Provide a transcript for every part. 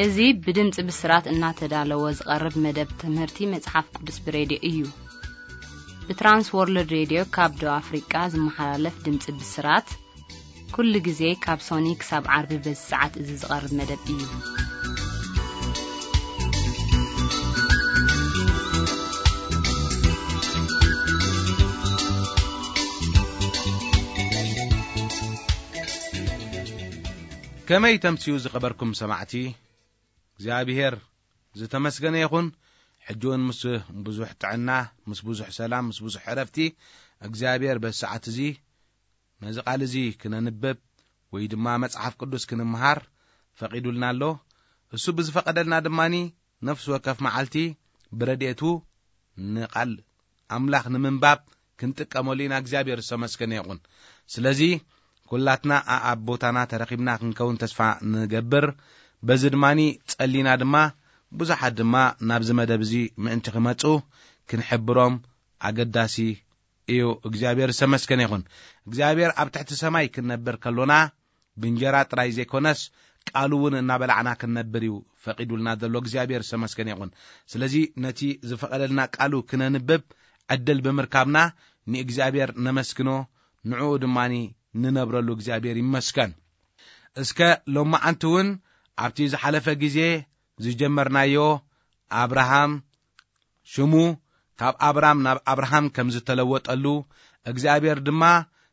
እዚ ብድምፂ ብስራት እናተዳለወ ዝቐርብ መደብ ትምህርቲ መጽሓፍ ቅዱስ ብሬድዮ እዩ። ብትራንስ ወርልድ ሬድዮ ካብ ደቡብ ኣፍሪቃ ዝመሓላለፍ ድምፂ ብስራት ኩሉ ግዜ ካብ ሶኒ ክሳብ ዓርቢ በዚ ሰዓት እዚ ዝቐርብ መደብ እዩ። ከመይ ተምስዩ ዝኸበርኩም ሰማዕቲ፣ እግዚኣብሔር ዝተመስገነ ይኹን። ሕጂ እውን ምስ ብዙሕ ጥዕና፣ ምስ ብዙሕ ሰላም፣ ምስ ብዙሕ ዕረፍቲ እግዚኣብሔር በዚ ሰዓት እዚ ነዚ ቃል እዚ ክነንብብ ወይ ድማ መጽሓፍ ቅዱስ ክንምሃር ፈቒዱልና ኣሎ። እሱ ብዝፈቐደልና ድማኒ ነፍሲ ወከፍ መዓልቲ ብረድኤቱ ንቓል ኣምላኽ ንምንባብ ክንጥቀመሉ ኢና። እግዚኣብሔር ዝተመስገነ ይኹን። ስለዚ ኩላትና ኣኣብ ቦታና ተረኺብና ክንከውን ተስፋ ንገብር። በዚ ድማኒ ጸሊና ድማ ብዙሓት ድማ ናብዚ መደብ እዚ ምእንቲ ክመጹ ክንሕብሮም ኣገዳሲ እዩ። እግዚኣብሔር ዝተመስገነ ይኹን። እግዚኣብሔር ኣብ ትሕቲ ሰማይ ክንነብር ከሎና ብእንጀራ ጥራይ ዘይኮነስ ቃሉ እውን እናበላዕና ክንነብር እዩ ፈቒዱልና ዘሎ። እግዚኣብሔር ዝተመስገነ ይኹን። ስለዚ ነቲ ዝፈቐደልና ቃሉ ክነንብብ ዕድል ብምርካብና ንእግዚኣብሔር ነመስግኖ፣ ንዕኡ ድማኒ ንነብረሉ። እግዚኣብሔር ይመስገን። እስከ ሎማዓንቲ እውን ኣብቲ ዝሓለፈ ግዜ ዝጀመርናዮ ኣብርሃም ሽሙ ካብ ኣብራም ናብ ኣብርሃም ከም ዝተለወጠሉ፣ እግዚኣብሔር ድማ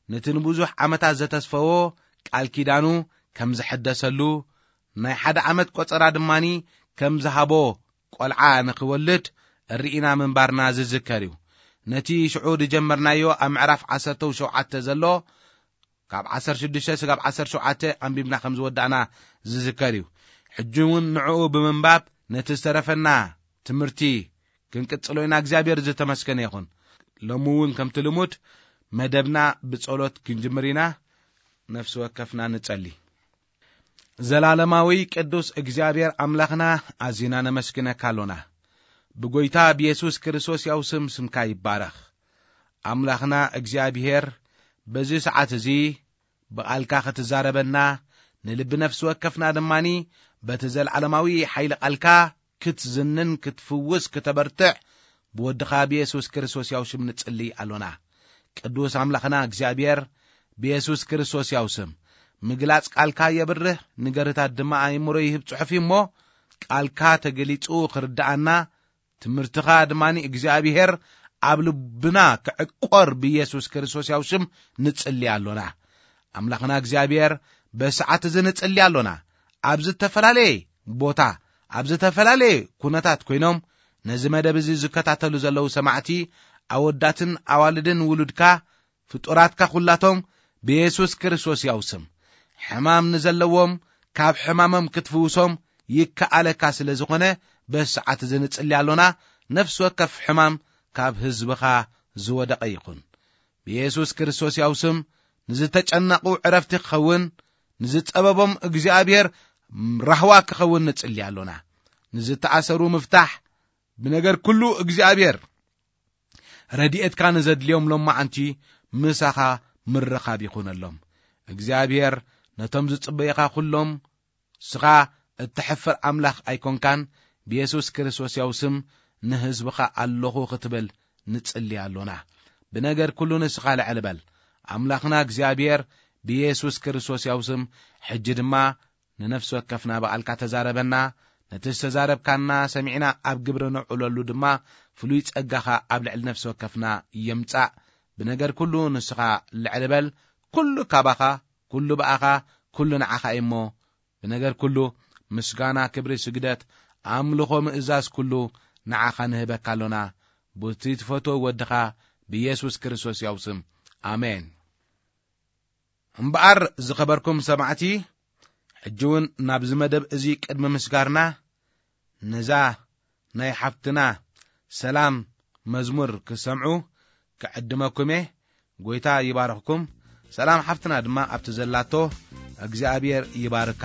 ነቲ ንብዙሕ ዓመታት ዘተስፈዎ ቃል ኪዳኑ ከም ዘሐደሰሉ፣ ናይ ሓደ ዓመት ቆጸራ ድማኒ ከም ዝሃቦ ቆልዓ ንኽወልድ ርኢና ምንባርና ዝዝከር እዩ። ነቲ ሽዑ ዝጀመርናዮ ኣብ ምዕራፍ ዓሰርተ ሸውዓተ ዘሎ ካብ ዓሰርተ ሽዱሽተ ስጋብ ዓሰርተ ሸውዓተ ኣንቢብና ከም ዝወዳእና ዝዝከር እዩ። ሕጂ እውን ንዕኡ ብምንባብ ነቲ ዝተረፈና ትምህርቲ ክንቅጽሎ ኢና። እግዚኣብሔር ዝተመስገነ ይኹን። ሎሚ እውን ከምቲ ልሙድ መደብና ብጸሎት ክንጅምር ኢና። ነፍሲ ወከፍና ንጸሊ። ዘላለማዊ ቅዱስ እግዚኣብሔር ኣምላኽና፣ ኣዚና ነመስግነካ ኣሎና። ብጎይታ ብየሱስ ክርስቶስ ያው ስም ስምካ ይባረኽ። ኣምላኽና እግዚኣብሔር፣ በዚ ሰዓት እዚ ብቓልካ ክትዛረበና፣ ንልቢ ነፍሲ ወከፍና ድማኒ በቲ ዘልዓለማዊ ሓይሊ ቃልካ ክትዝንን ክትፍውስ ክተበርትዕ ብወድኻ ብየሱስ ክርስቶስ ያው ሽም ንጽሊ ኣሎና። ቅዱስ ኣምላኽና እግዚኣብሔር፣ ብየሱስ ክርስቶስ ያው ስም ምግላጽ ቃልካ የብርህ፣ ንገርታት ድማ ኣእምሮ ይህብ ጽሑፍ እዩ እሞ፣ ቃልካ ተገሊጹ ክርድኣና፣ ትምህርትኻ ድማኒ እግዚኣብሔር ኣብ ልብና ክዕቆር ብየሱስ ክርስቶስ ያው ሽም ንጽሊ ኣሎና። ኣምላኽና እግዚኣብሔር፣ በሰዓት እዚ ንጽሊ ኣሎና። ኣብ ዝተፈላለየ ቦታ፣ ኣብ ዝተፈላለየ ኩነታት ኮይኖም ነዚ መደብ እዚ ዝከታተሉ ዘለዉ ሰማዕቲ፣ ኣወዳትን ኣዋልድን ውሉድካ፣ ፍጡራትካ ኩላቶም ብየሱስ ክርስቶስ ያው ስም፣ ሕማም ንዘለዎም ካብ ሕማሞም ክትፍውሶም ይከኣለካ ስለ ዝኾነ፣ በዚ ሰዓት እዚ ንጽሊ ኣሎና። ነፍሲ ወከፍ ሕማም ካብ ህዝብኻ ዝወደቐ ይኹን። ብየሱስ ክርስቶስ ያው ስም፣ ንዝተጨነቑ ዕረፍቲ ክኸውን፣ ንዝጸበቦም እግዚኣብሔር ራህዋ ክኸውን ንጽሊ ኣሎና። ንዝተኣሰሩ ምፍታሕ፣ ብነገር ኩሉ እግዚኣብሔር ረድኤትካ ንዘድልዮም ሎማዓንቲ ምሳኻ ምርኻብ ይኹነሎም። እግዚኣብሔር ነቶም ዝጽበዩኻ ኩሎም፣ ንስኻ እተሕፍር ኣምላኽ ኣይኮንካን። ብየሱስ ክርስቶስ ያው ስም ንህዝብኻ ኣለኹ ክትብል ንጽሊ ኣሎና። ብነገር ኩሉ ንስኻ ልዕል በል። ኣምላኽና እግዚኣብሔር ብየሱስ ክርስቶስ ያው ስም ሕጂ ድማ ንነፍሲ ወከፍና ብቓልካ ተዛረበና። ነቲ ዝተዛረብካና ሰሚዕና ኣብ ግብሪ ነውዕለሉ ድማ ፍሉይ ጸጋኻ ኣብ ልዕሊ ነፍሲ ወከፍና የምጻእ። ብነገር ኩሉ ንስኻ ልዕል በል። ኩሉ ካባኻ፣ ኩሉ ብኣኻ፣ ኩሉ ንዓኻ እዩ እሞ፣ ብነገር ኩሉ ምስጋና፣ ክብሪ፣ ስግደት፣ ኣምልኾ፣ ምእዛዝ ኩሉ ንዓኻ ንህበካ ኣሎና። ቡቲ ትፈትዎ ወድኻ ብየሱስ ክርስቶስ ያው ስም። ኣሜን። እምበኣር ዝኸበርኩም ሰማዕቲ፣ ሕጂ እውን ናብዚ መደብ እዚ ቅድሚ ምስጋርና፣ ነዛ ናይ ሓፍትና ሰላም መዝሙር ክሰምዑ ክዕድመኩም እየ። ጎይታ ይባርኽኩም። ሰላም ሓፍትና ድማ ኣብቲ ዘላቶ እግዚኣብሔር ይባርካ።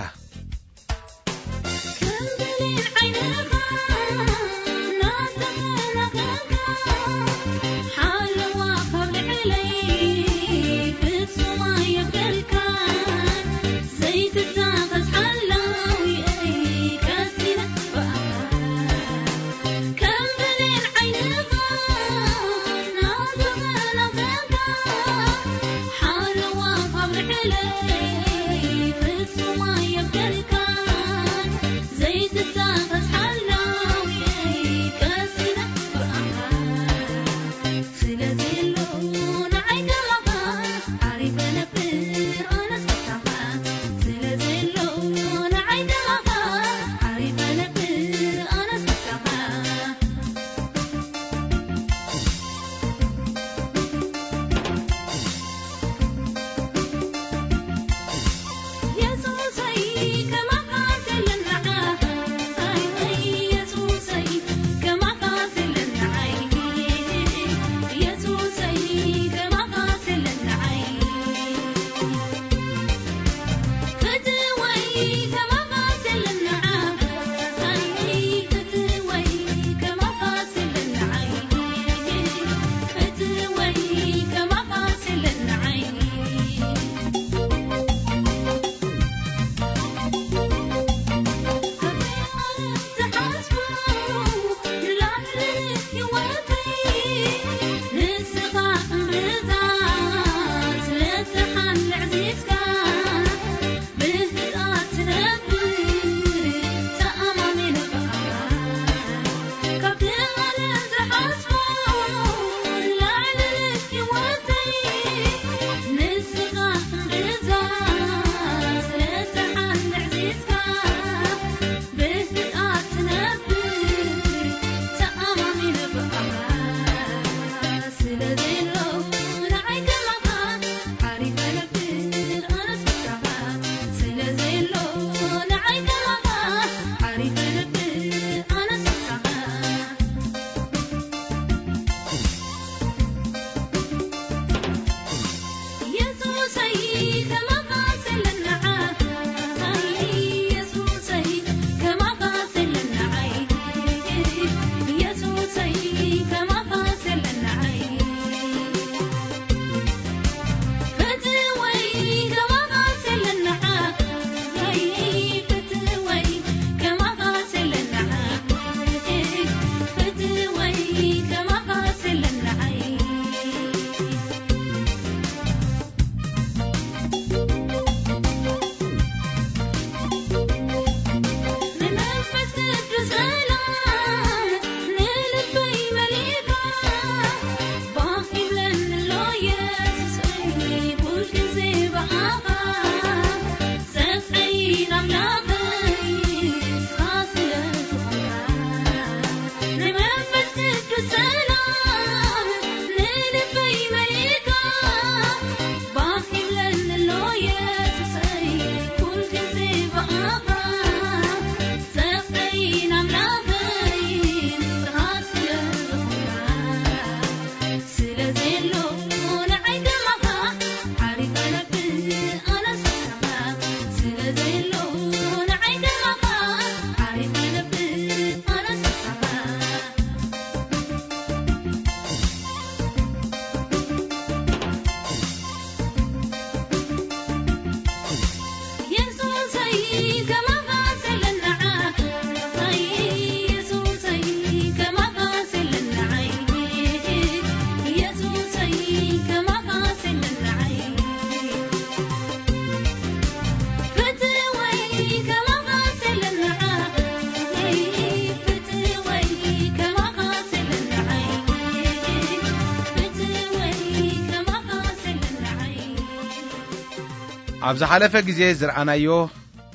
ኣብ ዝሓለፈ ግዜ ዝረኣናዮ፣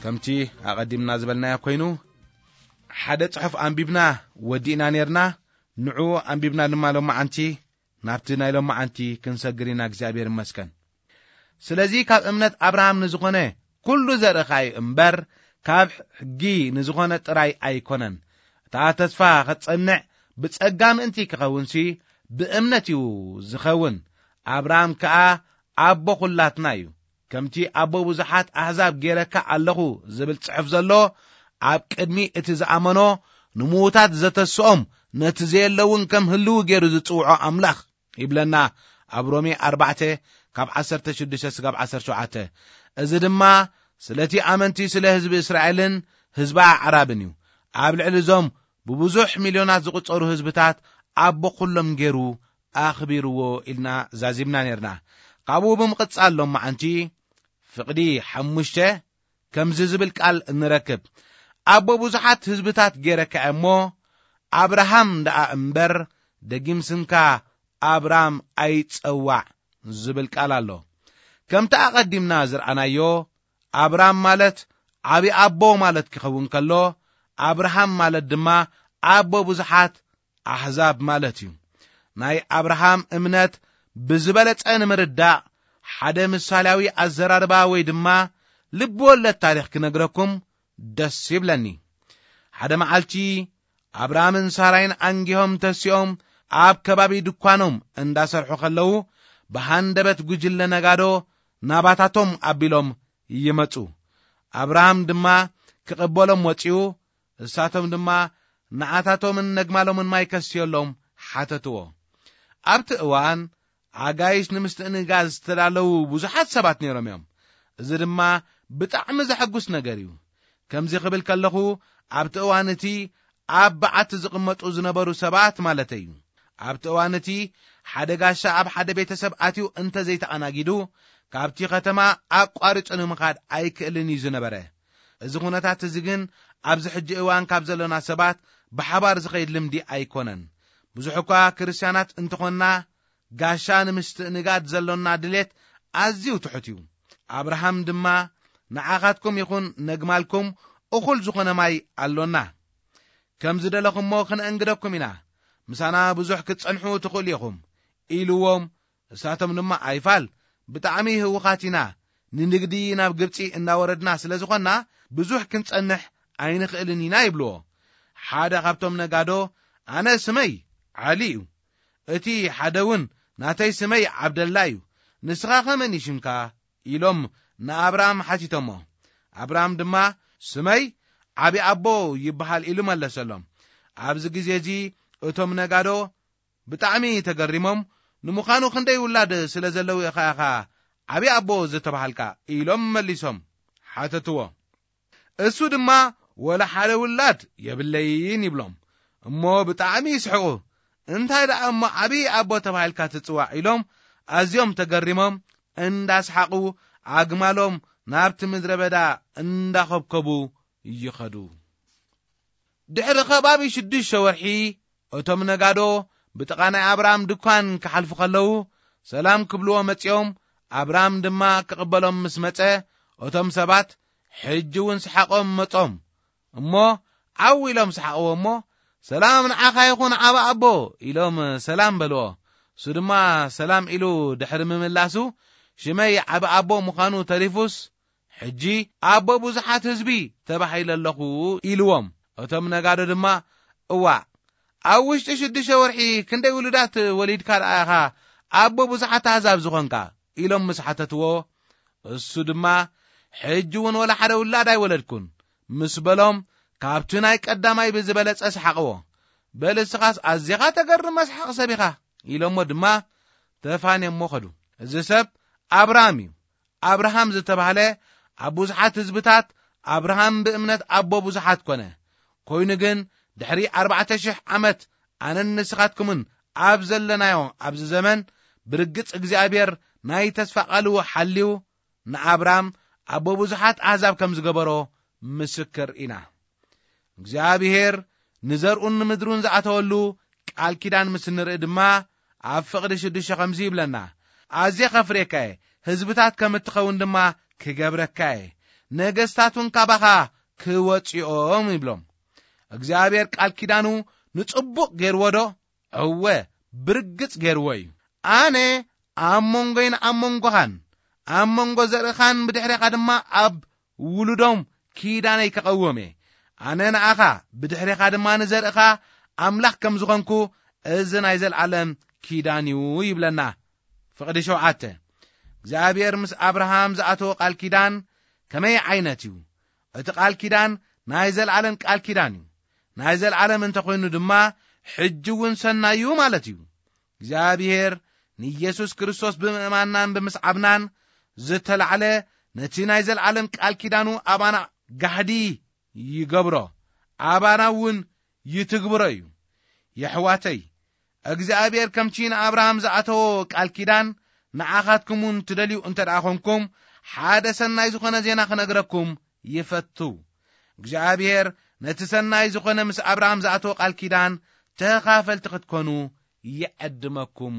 ከምቲ ኣቐዲምና ዝበልናዮ ኮይኑ፣ ሓደ ጽሑፍ ኣንቢብና ወዲእና ኔርና። ንዑ ኣንቢብና ድማ ሎማዓንቲ ናብቲ ናይ ሎማዓንቲ ክንሰግር ኢና። እግዚኣብሔር ይመስገን። ስለዚ ካብ እምነት ኣብርሃም ንዝኾነ ኩሉ ዘርእኻ እዩ እምበር፣ ካብ ሕጊ ንዝኾነ ጥራይ ኣይኮነን። እታ ተስፋ ኸትጸንዕ ብጸጋ ምእንቲ ክኸውንሲ ብእምነት እዩ ዝኸውን። ኣብርሃም ከኣ ኣቦ ኹላትና እዩ። ከምቲ ኣቦ ብዙሓት ኣሕዛብ ገይረካ ኣለኹ ዝብል ጽሑፍ ዘሎ፣ ኣብ ቅድሚ እቲ ዝኣመኖ ንምዉታት ዘተስኦም፣ ነቲ ዘየለውን ከም ህልው ገይሩ ዝጽውዖ ኣምላኽ ይብለና ኣብ ሮሜ ኣርባዕተ ካብ ዓሰርተ ሽዱሽተ ስጋብ ዓሰርተ ሸውዓተ። እዚ ድማ ስለቲ ኣመንቲ ስለ ህዝቢ እስራኤልን ህዝቢ ኣዕራብን እዩ። ኣብ ልዕሊ እዞም ብብዙሕ ሚልዮናት ዝቑጸሩ ህዝብታት ኣቦ ኩሎም ገይሩ ኣኽቢርዎ ኢልና ዛዚምና ኔርና። ካብኡ ብምቕጻል ሎማዓንቲ ፍቕዲ ሓሙሽተ ከምዚ ዝብል ቃል ንረክብ። ኣቦ ብዙሓት ህዝብታት ገይረካ እሞ ኣብርሃም ደኣ እምበር ደጊም ስምካ ኣብራም ኣይጸዋዕ ዝብል ቃል ኣሎ። ከምቲ ኣቐዲምና ዝረኣናዮ ኣብራም ማለት ዓቢ ኣቦ ማለት ክኸውን ከሎ ኣብርሃም ማለት ድማ ኣቦ ብዙሓት ኣሕዛብ ማለት እዩ። ናይ ኣብርሃም እምነት ብዝበለጸ ንምርዳእ ሓደ ምሳሌያዊ ኣዘራርባ ወይ ድማ ልቢ ወለድ ታሪኽ ክነግረኩም ደስ ይብለኒ። ሓደ መዓልቲ ኣብርሃምን ሳራይን ኣንጊሆም ተሲኦም ኣብ ከባቢ ድኳኖም እንዳሰርሑ ከለዉ ብሃንደበት ጉጅለ ነጋዶ ናባታቶም ኣቢሎም ይመጹ። ኣብርሃም ድማ ክቕበሎም ወጺኡ፣ እሳቶም ድማ ንዓታቶምን ነግማሎምን ማይ ከስዮሎም ሓተትዎ። ኣብቲ እዋን ኣጋይሽ ንምስትእንጋድ ዝተዳለዉ ብዙሓት ሰባት ነይሮም እዮም። እዚ ድማ ብጣዕሚ ዘሐጉስ ነገር እዩ። ከምዚ ክብል ከለኹ ኣብቲ እዋን እቲ ኣብ በዓቲ ዝቕመጡ ዝነበሩ ሰባት ማለተይ እዩ። ኣብቲ እዋን እቲ ሓደ ጋሻ ኣብ ሓደ ቤተሰብ ኣትዩ እንተ ዘይተኣናጊዱ ካብቲ ከተማ ኣቋሪጹ ንምኻድ ኣይክእልን እዩ ዝነበረ። እዚ ኩነታት እዚ ግን ኣብዚ ሕጂ እዋን ካብ ዘሎና ሰባት ብሓባር ዝኸይድ ልምዲ ኣይኮነን። ብዙሕ እኳ ክርስትያናት እንተኾንና ጋሻ ንምስትእንጋድ ዘሎና ድሌት ኣዝዩ ትሑት እዩ። ኣብርሃም ድማ ንዓኻትኩም ይኹን ነግማልኩም እኹል ዝኾነ ማይ ኣሎና። ከም ዝደለኹሞ ክንእንግደኩም ኢና። ምሳና ብዙሕ ክትጸንሑ ትኽእሉ ኢኹም ኢልዎም። እሳቶም ድማ ኣይፋል ብጣዕሚ ህውኻት ኢና፣ ንንግዲ ናብ ግብጺ እናወረድና ስለ ዝኾንና ብዙሕ ክንጸንሕ ኣይንኽእልን ኢና ይብልዎ። ሓደ ካብቶም ነጋዶ ኣነ ስመይ ዓሊ እዩ፣ እቲ ሓደ እውን ናተይ ስመይ ዓብደላ እዩ፣ ንስኻ ኸመን እዩ ሽምካ? ኢሎም ንኣብርሃም ሓቲቶሞ። ኣብርሃም ድማ ስመይ ዓቢ ኣቦ ይበሃል ኢሉ መለሰሎም። ኣብዚ ግዜ እዚ እቶም ነጋዶ ብጣዕሚ ተገሪሞም፣ ንምዃኑ ክንደይ ውላድ ስለ ዘለዉ ኢኻ ኢኻ ዓቢ ኣቦ ዝተባሃልካ? ኢሎም መሊሶም ሓተትዎ። እሱ ድማ ወላ ሓደ ውላድ የብለይን ይብሎም። እሞ ብጣዕሚ ይስሕቑ። እንታይ ደኣ እሞ ዓቢ ኣቦ ተባሂልካ ትጽዋዕ? ኢሎም ኣዝዮም ተገሪሞም እንዳስሓቑ ኣግማሎም ናብቲ ምድረ በዳ እንዳኸብከቡ ይኸዱ። ድሕሪ ከባቢ ሽዱሽተ ወርሒ እቶም ነጋዶ ብጥቓ ናይ ኣብርሃም ድኳን ክሓልፉ ከለዉ ሰላም ክብልዎ መጺኦም፣ ኣብርሃም ድማ ክቕበሎም ምስ መጸ እቶም ሰባት ሕጂ እውን ሰሓቖም መጾም። እሞ ዓው ኢሎም ሰሓቕዎ እሞ ሰላም ንዓኻ ይኹን ዓቢ ኣቦ ኢሎም ሰላም በልዎ። እሱ ድማ ሰላም ኢሉ ድሕሪ ምምላሱ ሽመይ ዓቢ ኣቦ ምዃኑ ተሪፉስ ሕጂ ኣቦ ብዙሓት ህዝቢ ተባሂለ ኣለኹ ኢልዎም። እቶም ነጋዶ ድማ እዋእ ኣብ ውሽጢ ሽዱሽተ ወርሒ ክንደይ ውሉዳት ወሊድካ ደኣ ኢኻ ኣቦ ብዙሓት ኣህዛብ ዝኾንካ? ኢሎም ምስ ሓተትዎ እሱ ድማ ሕጂ እውን ወላ ሓደ ውላድ ኣይወለድኩን ምስ በሎም ካብቲ ናይ ቀዳማይ ብዝበለጸ ሰሓቕዎ። በል እስኻስ ኣዚኻ ተገርም መስሓቕ ሰብ ኢኻ ኢሎሞ ድማ ተፋንዮሞ ኸዱ። እዚ ሰብ ኣብርሃም እዩ። ኣብርሃም ዝተባህለ ኣብ ብዙሓት ህዝብታት ኣብርሃም ብእምነት ኣቦ ብዙሓት ኮነ። ኮይኑ ግን ድሕሪ ኣርባዕተ ሽሕ ዓመት ኣነን ንስኻትኩምን ኣብ ዘለናዮ ኣብዚ ዘመን ብርግጽ እግዚኣብሔር ናይ ተስፋ ቃሉ ሓልዩ ንኣብራም ኣቦ ብዙሓት ኣሕዛብ ከም ዝገበሮ ምስክር ኢና። እግዚኣብሔር ንዘርኡን ንምድሩን ዝኣተወሉ ቃል ኪዳን ምስ ንርኢ ድማ ኣብ ፍቕዲ ሽዱሽተ ከምዚ ይብለና፣ ኣዝየ ከፍሬካ እየ፣ ህዝብታት ከም እትኸውን ድማ ክገብረካ እየ፣ ነገስታት እውን ካባኻ ክወፅኦም ይብሎም። እግዚኣብሔር ቃል ኪዳኑ ንጽቡቕ ገይርዎ ዶ? እወ፣ ብርግጽ ገይርዎ እዩ። ኣነ ኣብ መንጎይን ኣብ መንጎኻን ኣብ መንጎ ዘርእኻን ብድሕሬኻ ድማ ኣብ ውሉዶም ኪዳነይ ከቐውም እየ። ኣነ ንኣኻ ብድሕሬኻ ድማ ንዘርእኻ ኣምላኽ ከም ዝኾንኩ እዚ ናይ ዘለዓለም ኪዳን እዩ ይብለና። ፍቕዲ ሸውዓተ እግዚኣብሔር ምስ ኣብርሃም ዝኣተወ ቃል ኪዳን ከመይ ዓይነት እዩ? እቲ ቃል ኪዳን ናይ ዘለዓለም ቃል ኪዳን እዩ። ናይ ዘለዓለም እንተኾይኑ ድማ ሕጂ እውን ሰናይ እዩ ማለት እዩ። እግዚኣብሔር ንኢየሱስ ክርስቶስ ብምእማንናን ብምስዓብናን ዝተላዕለ ነቲ ናይ ዘለዓለም ቃል ኪዳኑ ኣባና ጋህዲ ይገብሮ፣ ኣባና እውን ይትግብሮ እዩ። የሕዋተይ እግዚኣብሔር ከምቲ ንኣብርሃም ዝኣተዎ ቃል ኪዳን ንዓኻትኩም እውን ትደልዩ እንተ ደኣ ኾንኩም ሓደ ሰናይ ዝኾነ ዜና ክነግረኩም ይፈቱ። እግዚኣብሔር ነቲ ሰናይ ዝኾነ ምስ ኣብርሃም ዝኣተወ ቃል ኪዳን ተኻፈልቲ ክትኮኑ ይዕድመኩም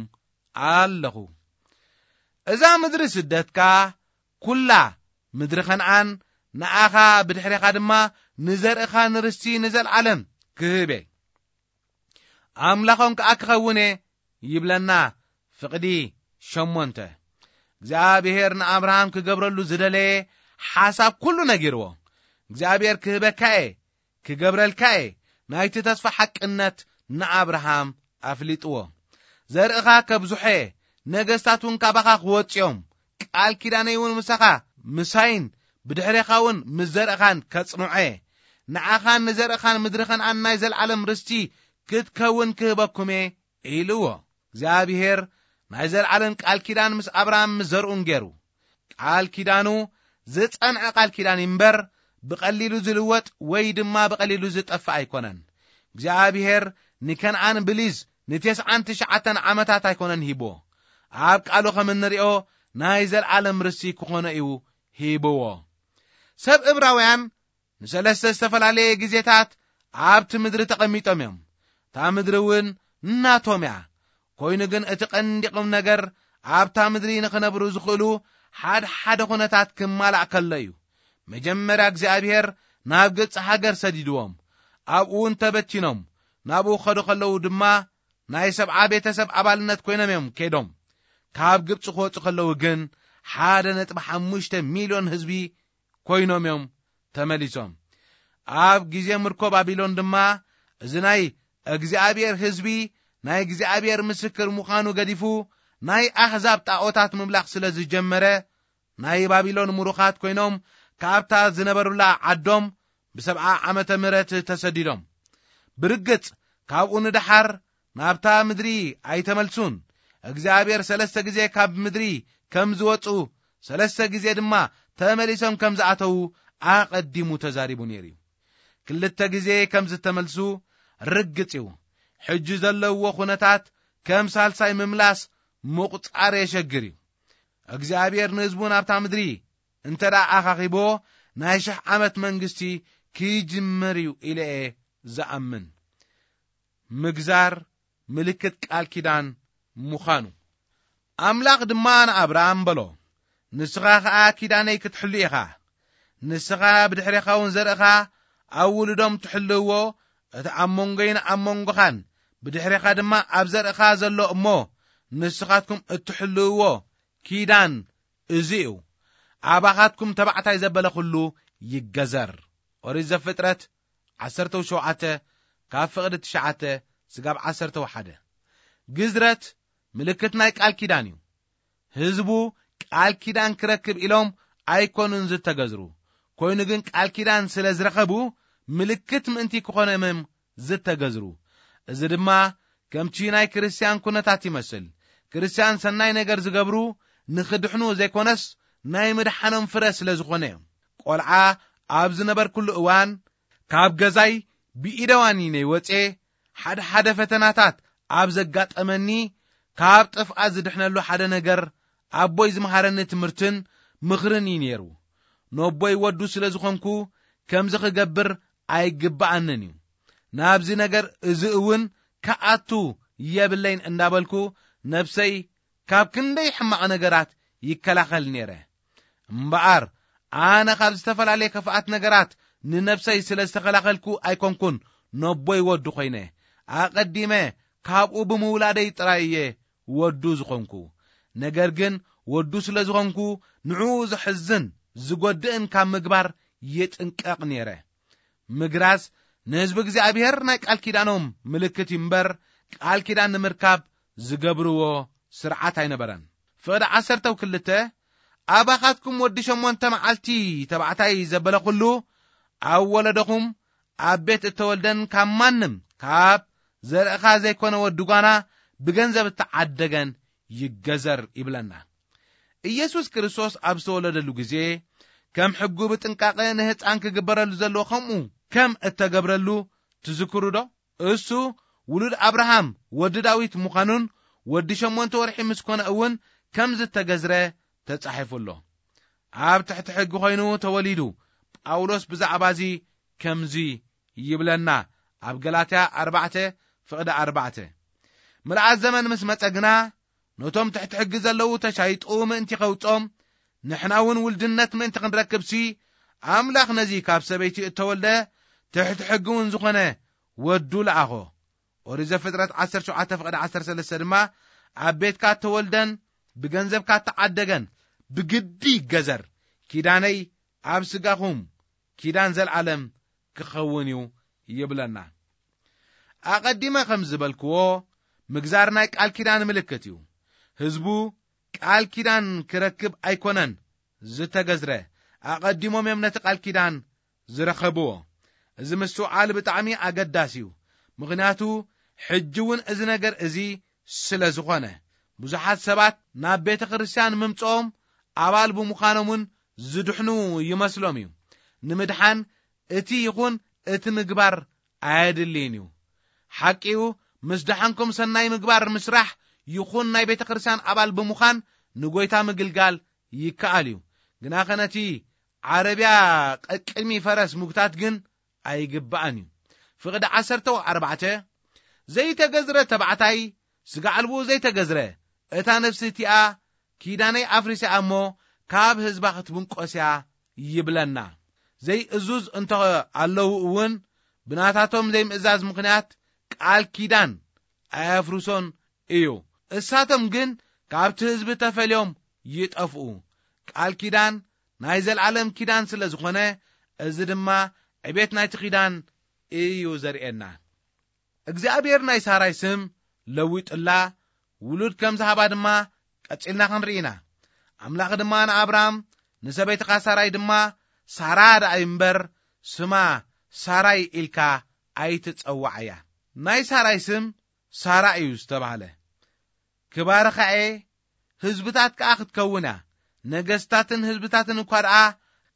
ኣለኹ። እዛ ምድሪ ስደትካ ኩላ ምድሪ ከነኣን ንኣኻ ብድሕሬኻ ድማ ንዘርእኻ ንርስቲ ንዘለዓለም ክህብ እየ። ኣምላኾም ከኣ ክኸውን እየ ይብለና። ፍቕዲ ሸሞንተ። እግዚኣብሔር ንኣብርሃም ክገብረሉ ዝደለየ ሓሳብ ኩሉ ነጊርዎ። እግዚኣብሔር ክህበካ እየ፣ ክገብረልካ እየ። ናይቲ ተስፋ ሓቅነት ንኣብርሃም ኣፍሊጥዎ። ዘርእኻ ከብዝሖ እየ፣ ነገስታት እውን ካባኻ ክወጽኦም፣ ቃል ኪዳነይ እውን ምሳኻ ምሳይን ብድሕሬኻ እውን ምስ ዘርእኻን ከጽንዖ እየ። ንዓኻን ንዘርእኻን ምድሪ ከነኣን ናይ ዘለዓለም ርስቲ ክትከውን ክህበኩም እየ ኢልዎ። እግዚኣብሔር ናይ ዘለዓለም ቃል ኪዳን ምስ ኣብርሃም ምስ ዘርኡን ገይሩ። ቃል ኪዳኑ ዝጸንዐ ቃል ኪዳን እምበር፣ ብቐሊሉ ዝልወጥ ወይ ድማ ብቐሊሉ ዝጠፍእ ኣይኮነን። እግዚኣብሔር ንከነኣን ብሊዝ ንተስዓን ትሽዓተን ዓመታት ኣይኮነን ሂብዎ። ኣብ ቃሉ ከም እንሪኦ ናይ ዘለዓለም ርስቲ ክኾኖ እዩ ሂብዎ። ሰብ እብራውያን ንሰለስተ ዝተፈላለየ ግዜታት ኣብቲ ምድሪ ተቐሚጦም እዮም። እታ ምድሪ እውን ናቶም እያ። ኮይኑ ግን እቲ ቀንዲ ቁም ነገር ኣብታ ምድሪ ንኽነብሩ ዝኽእሉ ሓደ ሓደ ኩነታት ክማላእ ከሎ እዩ። መጀመርያ እግዚኣብሔር ናብ ግብፂ ሃገር ሰዲድዎም። ኣብኡ እውን ተበቲኖም ናብኡ ከዱ ከለዉ ድማ ናይ ሰብዓ ቤተሰብ ኣባልነት ኮይኖም እዮም ከይዶም። ካብ ግብፂ ክወፁ ከለዉ ግን ሓደ ነጥቢ ሓሙሽተ ሚልዮን ህዝቢ ኮይኖም እዮም ተመሊሶም። ኣብ ግዜ ምርኮ ባቢሎን ድማ እዚ ናይ እግዚኣብሔር ህዝቢ ናይ እግዚኣብሔር ምስክር ምዃኑ ገዲፉ ናይ ኣህዛብ ጣዖታት ምምላኽ ስለ ዝጀመረ ናይ ባቢሎን ምሩኻት ኮይኖም ካብታ ዝነበሩላ ዓዶም ብሰብዓ ዓመተ ምህረት ተሰዲዶም። ብርግጽ ካብኡ ንደሓር ናብታ ምድሪ ኣይተመልሱን። እግዚኣብሔር ሰለስተ ግዜ ካብ ምድሪ ከም ዝወጹ ሰለስተ ግዜ ድማ ተመሊሶም ከም ዝኣተዉ ኣቐዲሙ ተዛሪቡ ነይሩ እዩ። ክልተ ግዜ ከም ዝተመልሱ ርግጽ እዩ። ሕጂ ዘለውዎ ኩነታት ከም ሳልሳይ ምምላስ ምቑጻር የሸግር እዩ። እግዚኣብሔር ንህዝቡ ናብታ ምድሪ እንተ ደኣ ኣኻኺብዎ ናይ ሽሕ ዓመት መንግስቲ ክጅምር እዩ ኢለ እየ ዝኣምን። ምግዛር ምልክት ቃል ኪዳን ምዃኑ። ኣምላኽ ድማ ንኣብርሃም በሎ፣ ንስኻ ኸኣ ኪዳነይ ክትሕሉ ኢኻ። ንስኻ ብድሕሬኻ እውን ዘርእኻ ኣብ ውሉዶም ትሕልውዎ፣ እቲ ኣብ መንጎይን ኣብ መንጎኻን ብድሕሬኻ ድማ ኣብ ዘርእኻ ዘሎ እሞ ንስኻትኩም እትሕልውዎ ኪዳን እዚ እዩ። ኣባኻትኩም ተባዕታይ ዘበለ ኩሉ ይገዘር። ኦሪት ዘፍጥረት ዓሰርተ ሸውዓተ ካብ ፍቕዲ ትሽዓተ ስጋብ ዓሰርተ ሓደ። ግዝረት ምልክት ናይ ቃል ኪዳን እዩ። ህዝቡ ቃል ኪዳን ክረክብ ኢሎም ኣይኮኑን ዝተገዝሩ። ኮይኑ ግን ቃል ኪዳን ስለ ዝረኸቡ ምልክት ምእንቲ ክኾኖም እዮም ዝተገዝሩ። እዚ ድማ ከምቲ ናይ ክርስትያን ኩነታት ይመስል። ክርስትያን ሰናይ ነገር ዝገብሩ ንኽድሕኑ ዘይኮነስ ናይ ምድሓኖም ፍረ ስለ ዝኾነ እዮም። ቆልዓ ኣብ ዝነበርኩሉ እዋን ካብ ገዛይ ብኢደዋኒ ነይ ወጼ ሓደ ሓደ ፈተናታት ኣብ ዘጋጠመኒ ካብ ጥፍኣት ዝድሕነሉ ሓደ ነገር ኣቦይ ዝመሃረኒ ትምህርትን ምኽርን እዩ ነይሩ። ነቦይ ወዱ ስለ ዝኾንኩ ከምዚ ክገብር ኣይግብኣንን እዩ። ናብዚ ነገር እዚ እውን ክኣቱ የብለይን እንዳበልኩ ነብሰይ ካብ ክንደይ ሕማቕ ነገራት ይከላኸል ነይረ። እምበኣር ኣነ ካብ ዝተፈላለየ ክፍኣት ነገራት ንነብሰይ ስለ ዝተኸላኸልኩ ኣይኮንኩን ነቦይ ወዱ ኮይነ። ኣቐዲመ ካብኡ ብምውላደይ ጥራይ እየ ወዱ ዝኾንኩ። ነገር ግን ወዱ ስለ ዝኾንኩ ንዕኡ ዘሕዝን ዝጎድእን ካብ ምግባር ይጥንቀቕ ነይረ። ምግራዝ ንህዝቢ እግዚኣብሔር ናይ ቃል ኪዳኖም ምልክት እዩ እምበር ቃል ኪዳን ንምርካብ ዝገብርዎ ስርዓት ኣይነበረን። ፍቕዲ ዓሰርተ ክልተ፣ ኣባኻትኩም ወዲ ሸሞንተ መዓልቲ ተባዕታይ ዘበለ ኩሉ ኣብ ወለደኹም ኣብ ቤት እተወልደን ካብ ማንም ካብ ዘርእኻ ዘይኮነ ወዲ ጓና ብገንዘብ እተዓደገን ይገዘር ይብለና። ኢየሱስ ክርስቶስ ኣብ ዝተወለደሉ ግዜ ከም ሕጉ ብጥንቃቐ ንህፃን ክግበረሉ ዘለዎ ከምኡ ከም እተገብረሉ ትዝክሩ ዶ? እሱ ውሉድ ኣብርሃም ወዲ ዳዊት ምዃኑን ወዲ ሸሞንተ ወርሒ ምስ ኮነ እውን ከም ዝተገዝረ ተጻሒፉ ኣሎ። ኣብ ትሕቲ ሕጊ ኮይኑ ተወሊዱ። ጳውሎስ ብዛዕባ እዚ ከምዚ ይብለና ኣብ ገላትያ ኣርባዕተ ፍቕዲ ኣርባዕተ። ምልኣት ዘመን ምስ መጸ ግና ነቶም ትሕቲ ሕጊ ዘለዉ ተሻይጡ ምእንቲ ከውጾም፣ ንሕና እውን ውልድነት ምእንቲ ክንረክብሲ፣ ኣምላኽ ነዚ ካብ ሰበይቲ እተወልደ ትሕቲ ሕጊ እውን ዝኾነ ወዱ ለኣኾ። ኦሪት ዘፍጥረት ዓሰርተ ሸውዓተ ፍቕዲ ዓሰርተ ሰለስተ ድማ ኣብ ቤትካ እተወልደን ብገንዘብካ እተዓደገን ብግዲ ይገዘር፣ ኪዳነይ ኣብ ስጋኹም ኪዳን ዘልዓለም ክኸውን እዩ ይብለና። ኣቐዲመ ከም ዝበልክዎ፣ ምግዛር ናይ ቃል ኪዳን ምልክት እዩ። ህዝቡ ቃል ኪዳን ክረክብ ኣይኮነን ዝተገዝረ፣ ኣቐዲሞም እዮም ነቲ ቃል ኪዳን ዝረኸብዎ። እዚ ምስትውዓል ብጣዕሚ ኣገዳሲ እዩ። ምኽንያቱ ሕጂ እውን እዚ ነገር እዚ ስለ ዝኾነ፣ ብዙሓት ሰባት ናብ ቤተ ክርስቲያን ምምጽኦም ኣባል ብምዃኖም እውን ዝድሕኑ ይመስሎም እዩ። ንምድሓን እቲ ይኹን እቲ ምግባር ኣየድልይን እዩ። ሓቂኡ፣ ምስ ደሓንኩም ሰናይ ምግባር ምስራሕ ይኹን ናይ ቤተ ክርስቲያን ኣባል ብምዃን ንጎይታ ምግልጋል ይከኣል እዩ። ግናኸ ነቲ ዓረብያ ቀቅድሚ ፈረስ ምጉታት ግን ኣይግባእን እዩ። ፍቕዲ ዓሰርተ ኣርባዕተ፣ ዘይተገዝረ ተባዕታይ፣ ስጋ ኣልቦ ዘይተገዝረ፣ እታ ነፍሲ እቲኣ ኪዳነይ ኣፍሪሳ እሞ ካብ ህዝባ ክትብንቆስ እያ ይብለና። ዘይእዙዝ እንተ ኣለዉ እውን ብናታቶም ዘይምእዛዝ ምኽንያት ቃል ኪዳን ኣየፍርሶን እዩ። እሳቶም ግን ካብቲ ህዝቢ ተፈልዮም ይጠፍኡ። ቃል ኪዳን ናይ ዘልዓለም ኪዳን ስለ ዝኾነ፣ እዚ ድማ ዕቤት ናይቲ ኪዳን እዩ ዘርእየና። እግዚኣብሔር ናይ ሳራይ ስም ለዊጥላ፣ ውሉድ ከም ዝሃባ ድማ ቀጺልና ክንርኢ ኢና። ኣምላኽ ድማ ንኣብርሃም፣ "ንሰበይትኻ ሳራይ ድማ ሳራ ደኣ እዩ እምበር፣ ስማ ሳራይ ኢልካ ኣይትጸውዓያ።" ናይ ሳራይ ስም ሳራ እዩ ዝተባህለ። "ክባርኻ እየ፣ ህዝብታት ከኣ ክትከውን እያ፣ ነገስታትን ህዝብታትን እኳ ደኣ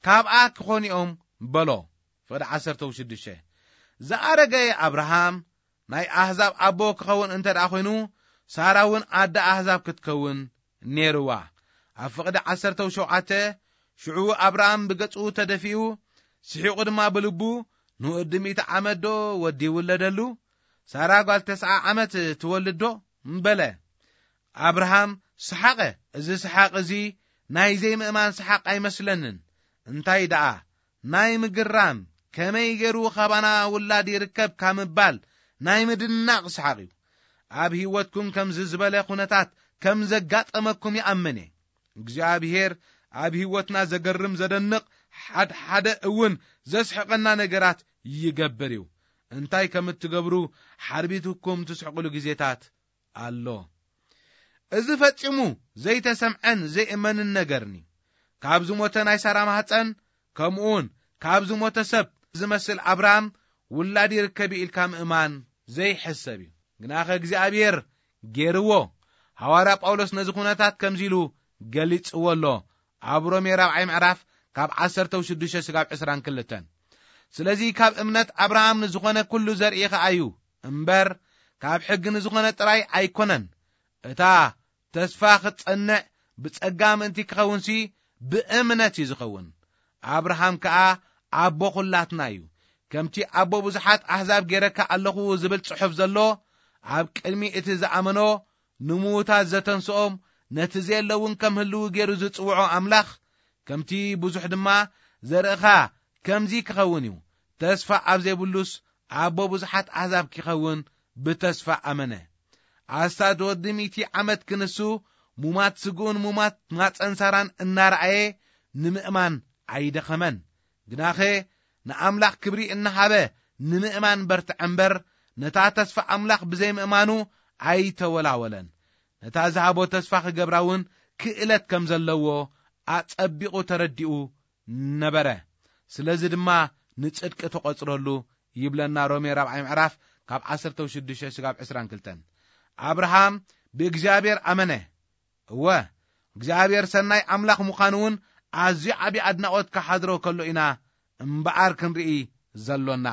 ካብኣ ክኾኑ እዮም" በሎ። ፍቕዲ ዓሰርተ ሽዱሽተ። ዝኣረገ ኣብርሃም ናይ ኣህዛብ ኣቦ ክኸውን እንተ ደኣ ኮይኑ፣ ሳራ እውን ኣደ ኣህዛብ ክትከውን ነይርዋ። ኣብ ፍቕዲ ዓሰርተ ሸውዓተ፣ ሽዑ ኣብርሃም ብገጹ ተደፊኡ፣ ስሒቑ ድማ ብልቡ፣ "ንወዲ ሚእቲ ዓመት ዶ ወዲ ይውለደሉ? ሳራ ጓል ተስዓ ዓመት ትወልድ ዶ?" በለ። ኣብርሃም ሰሓቐ። እዚ ሰሓቕ እዚ ናይ ዘይምእማን ሰሓቕ ኣይመስለንን። እንታይ ደኣ፣ ናይ ምግራም፣ ከመይ ገይሩ ካባና ውላድ ይርከብ ካብ ምባል ናይ ምድናቕ ሰሓቕ እዩ። ኣብ ህይወትኩም ከምዚ ዝበለ ኩነታት ከም ዘጋጠመኩም ይኣምን እየ። እግዚኣብሔር ኣብ ህይወትና ዘገርም፣ ዘደንቕ፣ ሓድሓደ እውን ዘስሕቐና ነገራት ይገብር እዩ። እንታይ ከም እትገብሩ ሓርቢትኩም ትስሕቁሉ ግዜታት ኣሎ። እዚ ፈጺሙ ዘይተሰምዐን ዘይእመንን ነገርኒ። ካብ ዝሞተ ናይ ሳራ ማህፀን፣ ከምኡውን ካብ ዝሞተ ሰብ ዝመስል ኣብርሃም ውላድ ይርከብ ኢልካ ምእማን ዘይሕሰብ እዩ። ግናኸ እግዚኣብሔር ገይርዎ። ሃዋርያ ጳውሎስ ነዚ ኩነታት ከምዚ ኢሉ ገሊጽዎ ኣሎ። ኣብ ሮሜ ራብዓይ ምዕራፍ ካብ ዓሰርተ ሽዱሽተ ስጋብ ዕስራን ክልተን። ስለዚ ካብ እምነት ኣብርሃም ንዝኾነ ኩሉ ዘርኢ ኸኣ እዩ እምበር፣ ካብ ሕጊ ንዝኾነ ጥራይ ኣይኮነን። እታ ተስፋ ክትጸንዕ ብጸጋ ምእንቲ ክኸውንሲ ብእምነት እዩ ዝኸውን። ኣብርሃም ከኣ ኣቦ ኹላትና እዩ። ከምቲ ኣቦ ብዙሓት ኣህዛብ ገይረካ ኣለኹ ዝብል ጽሑፍ ዘሎ፣ ኣብ ቅድሚ እቲ ዝኣመኖ ንምዉታት ዘተንስኦም፣ ነቲ ዘየለ እውን ከም ህልው ገይሩ ዝጽውዖ ኣምላኽ፣ ከምቲ ብዙሕ ድማ ዘርእኻ ከምዚ ክኸውን እዩ። ተስፋ ኣብ ዘይብሉስ ኣቦ ብዙሓት ኣህዛብ ክኸውን ብተስፋ ኣመነ። ኣስታት ወዲ ሚእቲ ዓመት ክንሱ፣ ሙማት ስግኡን ሙማት ማፀን ሳራን እናረኣየ ንምእማን ኣይደኸመን። ግናኸ ንኣምላኽ ክብሪ እናሃበ ንምእማን በርትዐ እምበር፣ ነታ ተስፋ ኣምላኽ ብዘይምእማኑ ኣይተወላወለን። ነታ ዝሃቦ ተስፋ ክገብራ እውን ክእለት ከም ዘለዎ ኣጸቢቑ ተረዲኡ ነበረ። ስለዚ ድማ ንጽድቂ ተቖጽረሉ ይብለና ሮሜ ራብዓይ ምዕራፍ ካብ ዓሰርተ ሽዱሽተ ስጋብ ዕስራን ክልተን። ኣብርሃም ብእግዚኣብሔር ኣመነ። እወ፣ እግዚኣብሔር ሰናይ ኣምላኽ ምዃኑ እውን ኣዝዩ ዓቢ ኣድናቖት ክሓድሮ ከሎ ኢና እምበኣር ክንርኢ ዘሎና።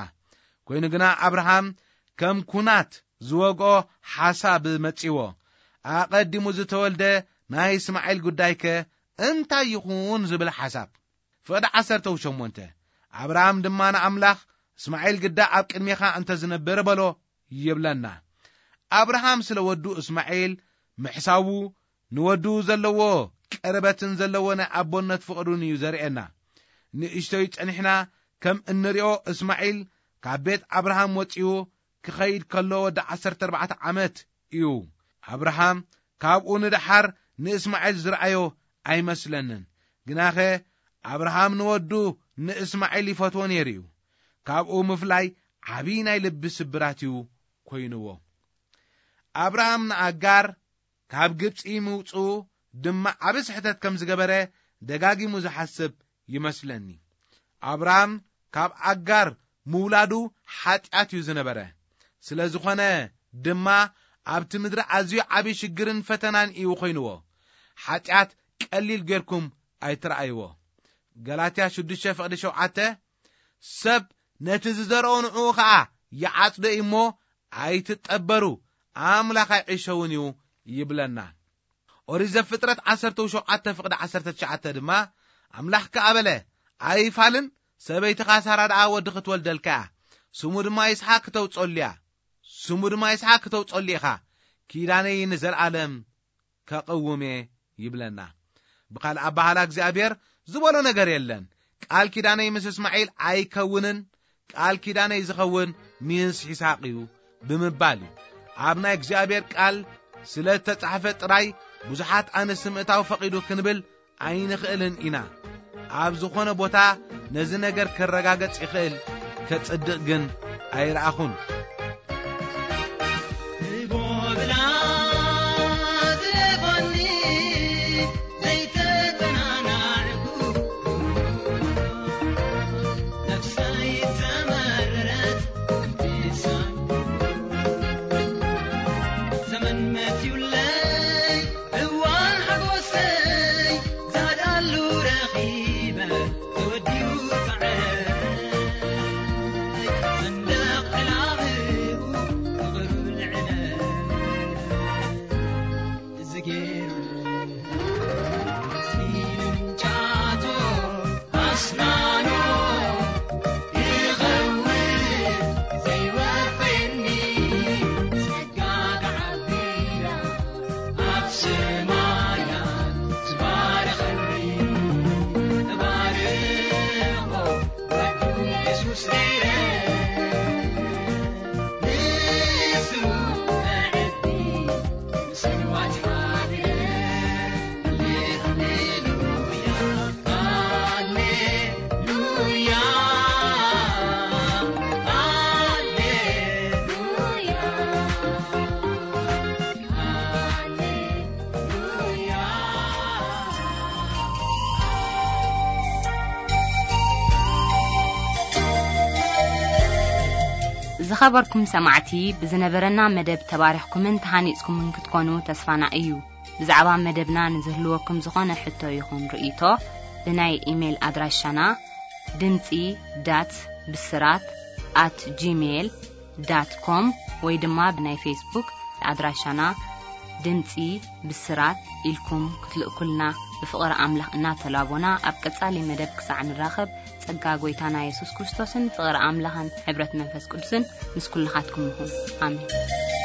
ኮይኑ ግና ኣብርሃም ከም ኩናት ዝወግኦ ሓሳብ መጺዎ። ኣቐዲሙ ዝተወልደ ናይ እስማዒል ጉዳይከ እንታይ ይኹን ዝብል ሓሳብ። ፍቕዲ ዓሰርተ ሸሞንተ፣ ኣብርሃም ድማ ንኣምላኽ፣ "እስማዒል ግዳ ኣብ ቅድሜኻ እንተ ዝነብር በሎ" ይብለና። ኣብርሃም ስለ ወዱ እስማዒል ምሕሳቡ፣ ንወዱ ዘለዎ ቀረበትን ዘለዎ ናይ ኣቦነት ፍቕሩን እዩ ዘርእየና። ንእሽቶይ ጸኒሕና ከም እንሪኦ፣ እስማዒል ካብ ቤት ኣብርሃም ወጺኡ ክኸይድ ከሎ ወዲ ዓሰርተ ኣርባዕተ ዓመት እዩ። ኣብርሃም ካብኡ ንደሓር ንእስማዒል ዝረኣዮ ኣይመስለንን። ግናኸ ኣብርሃም ንወዱ ንእስማዒል ይፈትዎ ነይሩ እዩ። ካብኡ ምፍላይ ዓብዪ ናይ ልቢ ስብራት እዩ ኮይንዎ። ኣብርሃም ንኣጋር ካብ ግብጺ ምውጽኡ ድማ ዓቢ ስሕተት ከም ዝገበረ ደጋጊሙ ዝሓስብ ይመስለኒ። ኣብርሃም ካብ ኣጋር ምውላዱ ሓጢኣት እዩ ዝነበረ። ስለ ዝኾነ ድማ ኣብቲ ምድሪ ኣዝዩ ዓቢ ሽግርን ፈተናን እዩ ኮይንዎ። ሓጢኣት ቀሊል ጌርኩም ኣይትረኣይዎ። ገላትያ ሽዱሽተ ፍቕዲ ሸውዓተ፣ "ሰብ ነቲ ዝዘርኦ ንዕኡ ኸኣ ይዓጽዶ እዩ እሞ ኣይትጠበሩ፣ ኣምላኽ ኣይዕሸውን እዩ" ይብለና። ኦሪት ዘፍጥረት ዓሰርተ ሸውዓተ ፍቕዲ ዓሰርተ ትሽዓተ ድማ፣ ኣምላኽ ከኣ በለ፣ "ኣይፋልን፣ ሰበይትኻ ሳራ ደኣ ወዲ ክትወልደልካ እያ፣ ስሙ ድማ ይስሓቅ ክተውጸሉ እያ፣ ስሙ ድማ ይስሓቅ ክተውጸሉ ኢኻ፣ ኪዳነይ ንዘለኣለም ከቕውም እየ" ይብለና። ብኻልእ ኣባህላ እግዚኣብሔር ዝበሎ ነገር የለን። "ቃል ኪዳነይ ምስ እስማዒል ኣይከውንን፣ ቃል ኪዳነይ ዝኸውን ምስ ይስሓቅ እዩ" ብምባል እዩ። ኣብ ናይ እግዚኣብሔር ቃል ስለ እተጻሕፈ ጥራይ ብዙሓት ኣንስቲ ምእታው ፈቒዱ ክንብል ኣይንኽእልን ኢና። ኣብ ዝኾነ ቦታ ነዚ ነገር ከረጋገጽ ይኽእል፣ ከጽድቕ ግን ኣይረኣኹን። ዝኸበርኩም ሰማዕቲ፣ ብዝነበረና መደብ ተባሪኽኩምን ተሃኒጽኩምን ክትኮኑ ተስፋና እዩ። ብዛዕባ መደብና ንዝህልወኩም ዝኾነ ሕቶ ይኹን ርእይቶ፣ ብናይ ኢሜይል ኣድራሻና ድምጺ ዳት ብስራት ኣት ጂሜይል ዳት ኮም ወይ ድማ ብናይ ፌስቡክ ኣድራሻና ድምጺ ብስራት ኢልኩም ክትልእኩልና ብፍቕሪ ኣምላኽ እናተላቦና፣ ኣብ ቀጻሊ መደብ ክሳዕ ንራኸብ፣ ጸጋ ጐይታና የሱስ ክርስቶስን ፍቕሪ ኣምላኽን ሕብረት መንፈስ ቅዱስን ምስ ኩልኻትኩም ይኹን። ኣሜን።